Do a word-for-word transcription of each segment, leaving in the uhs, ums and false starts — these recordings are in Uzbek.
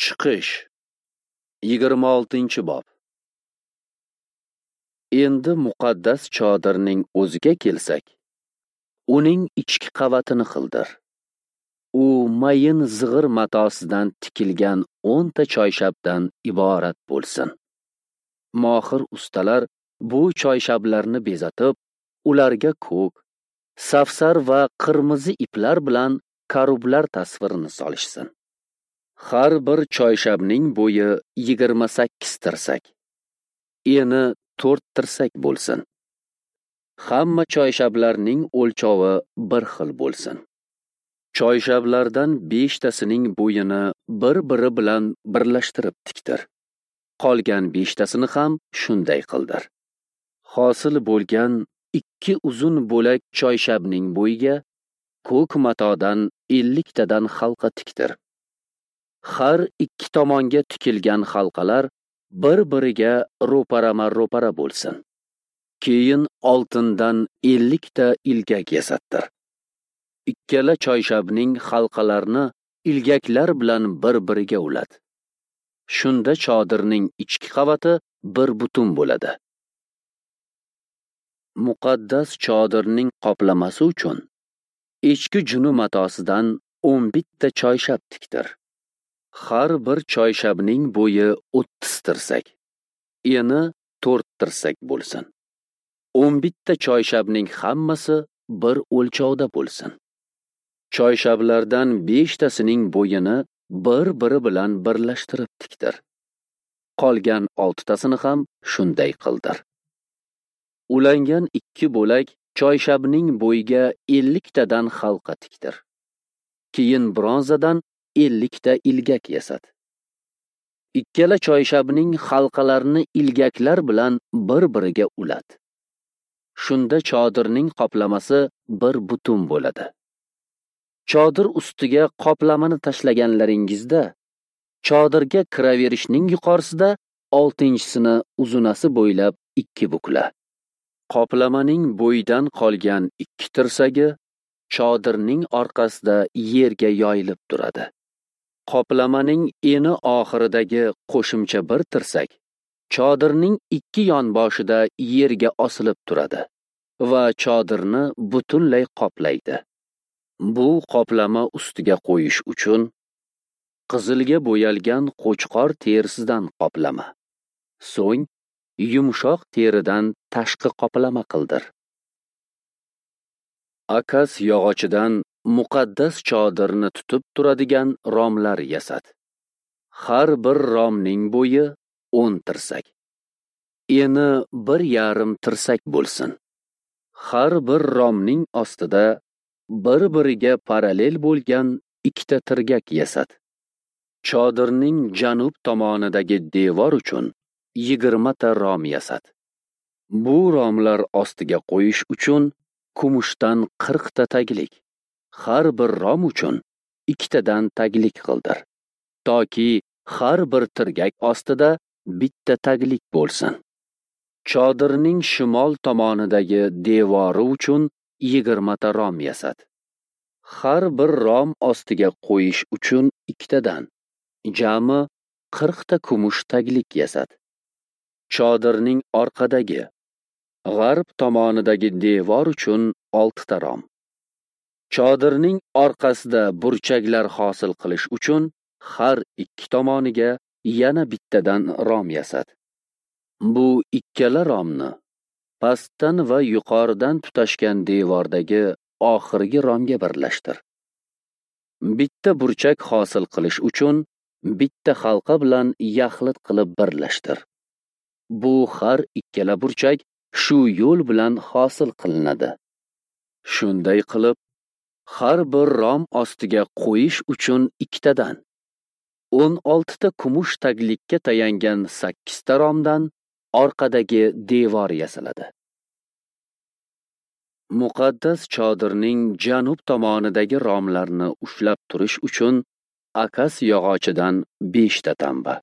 Chiqish yigirma oltinchi bob. Endi muqaddas chodirning o'ziga kelsak, uning ichki qavatini qildir. U mayin zig'ir matosidan tikilgan o'nta choyshabdan iborat bo'lsin. Mohir ustalar bu choyshablarni bezatib, ularga ko'k, safsar va qirmizi iplar bilan karublar tasvirini solishsin. Har bir choyshabning bo'yi yigirma sakkiz tirsak, eni to'rt tirsak bo'lsin. Hamma choyshablarning o'lchovi bir xil bo'lsin. Choyshablardan beshtasining bo'yini bir-biri bilan birlashtirib tiktir. Qolgan beshtasini ham shunday qildir. Hosil bo'lgan ikki uzun bo'lak choyshabning bo'yiga ko'k matodan elliktadan halqa tiktir. Har ikki tomonga tikilgan halqalar bir-biriga ro'parama-ro'para bo'lsin. Keyin oltindan ellikta ilgak yasattir. Ikkala choyshabning halqalarini ilgaklar bilan bir-biriga ulat. Shunda chodirning ichki qavati bir butun bo'ladi. Muqaddas chodirning qoplamasi uchun echki juni matosidan o'n bitta choyshab tiktir. Har bir choyshabning bo'yi o'ttiz tirsak, eni to'rt tirsak bo'lsin. O'n bitta choyshabning hammasi bir o'lchovda bo'lsin. Choyshablardan beshtasining bo'yini bir-biri bilan birlashtirib tiktir. Qolgan oltitasini ham shunday qildir. Ulangan ikki bo'lak choyshabning bo'yiga elliktadan halqa tiktir. Keyin bronzadan ellikta ilgak yasat. Ikkala choyshabning halqalarini ilgaklar bilan bir-biriga ulat. Shunda chodirning qoplamasi bir butun bo'ladi. Chodir ustiga qoplamani tashlaganlaringizda, chodirga kiraverishning yuqorisida oltinchisini uzunasi bo'ylab ikki bukla. Qoplamaning bo'yidan qolgan ikki tirsagi chodirning orqasida yerga yoyilib turadi. Qoplamaning eni oxiridagi qo'shimcha bir tirsak chodirning ikki yon boshida yerga osilib turadi va chodirni butunlay qoplaydi. Bu qoplama ustiga qo'yish uchun qizilga bo'yalgan qo'chqor terisidan qoplama, so'ng yumshoq teridan tashqi qoplama qildir. Akas yog'ochidan muqaddas chodirni tutib turadigan romlar yasat. Har bir romning bo'yi o'n tirsak, eni bir yarim tirsak bo'lsin. Har bir romning ostida bir-biriga parallel bo'lgan ikkita tirgak yasat. Chodirning janub tomonidagi devor uchun yigirmata rom yasat. Bu romlar ostiga qo'yish uchun kumushdan qirqta taglik, har bir rom uchun ikkitadan taglik qildir, toki har bir tirgak ostida bitta taglik bo'lsin. Chodirning shimol tomonidagi devori uchun yigirmata rom yasat. Har bir rom ostiga qo'yish uchun ikkitadan, jami qirqta kumush taglik yasat. Chodirning orqadagi, g'arb tomonidagi devor uchun oltita rom. Chodirning orqasida burchaklar hosil qilish uchun har ikki tomoniga yana bittadan rom yasat. Bu ikkala romni pastdan va yuqoridan tutashgan devordagi oxirgi romga birlashtir. Bitta burchak hosil qilish uchun bitta halqa bilan yaxlit qilib birlashtir. Bu har ikkala burchak shu yo'l bilan hosil qilinadi. Shunday qilib, har bir rom ostiga qo'yish uchun ikkitadan, o'n oltita kumush taglikka tayangan sakkizta romdan orqadagi devor yasaladi. Muqaddas chodirning janub tomonidagi romlarni ushlab turish uchun akas yog'ochidan beshta tamba,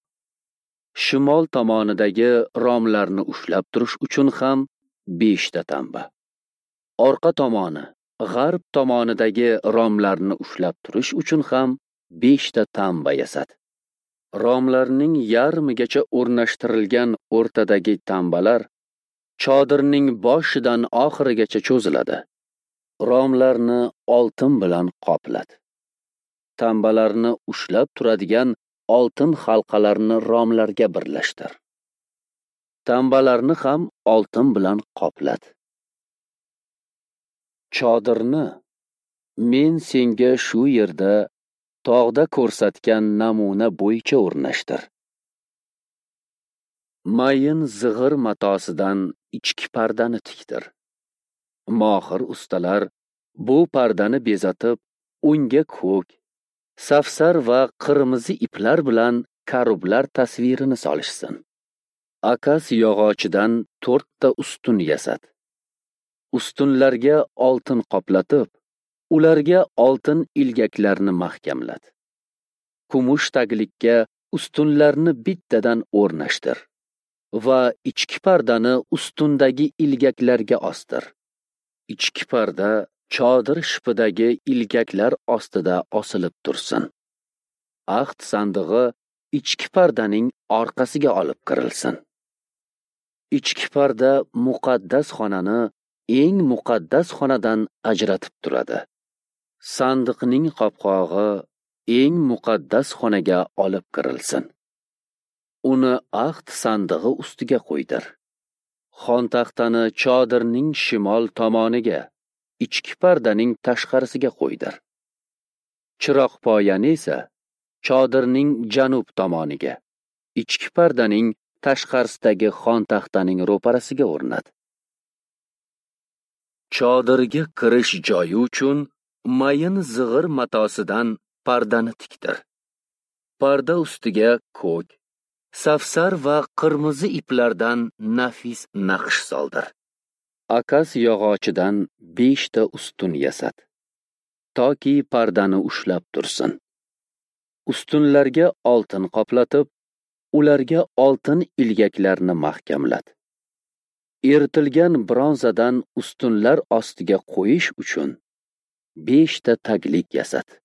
shimol tomonidagi romlarni ushlab turish uchun ham beshta tamba, orqa tomoni, g'arb tomonidagi romlarni ushlab turish uchun ham beshta tamba yasat. Romlarning yarmigacha o'rnashtirilgan o'rtadagi tambalar chodirning boshidan oxirigacha cho'ziladi. Romlarni oltin bilan qoplat. Tambalarni ushlab turadigan oltin halqalarni romlarga birlashtir. Tambalarni ham oltin bilan qoplat. Chodirni men senga shu yerda tog'da ko'rsatgan namuna bo'yicha o'rnashtir. Mayin zig'ir matosidan ichki pardani tiktir. Mohir ustalar bu pardani bezatib, unga ko'k, safsar va qirmizi iplar bilan karublar tasvirini solishsin. Akas yog'ochidan to'rtta ustun yasat. Ustunlarga oltin qoplatib, ularga oltin ilgaklarni mahkamlat. Kumush taglikka ustunlarni bittadan o'rnashtir va ichki pardani ustundagi ilgaklarga ostir. Ichki parda chodir shipidagi ilgaklar ostida osilib tursin. Ahd sandig'i ichki pardaning orqasiga olib kirilsin. Ichki parda muqaddas xonani eng muqaddas xonadan ajratib turadi. Sandiqning qopqog'i eng muqaddas xonaga olib kirilsin. Uni ahd sandig'i ustiga qo'ydir. Xontaxtani chodirning shimol tomoniga, ichki pardaning tashqarisiga qo'ydir. Chiroqpoyani esa chodirning janub tomoniga, ichki pardaning tashqarisidagi xontaxtaning ro'parasiga o'rnat. Chodirga kirish joyi uchun mayin zig'ir matosidan pardani tiktir. Parda ustiga ko'k, safsar va qirmizi iplardan nafis naqsh soldir. Akas yog'ochidan beshta ustun yasat, toki pardani ushlab tursin. Ustunlarga oltin qoplatib, ularga oltin ilgaklarni mahkamlat. Eritilgan bronzadan ustunlar ostiga qo'yish uchun beshta taglik yasat.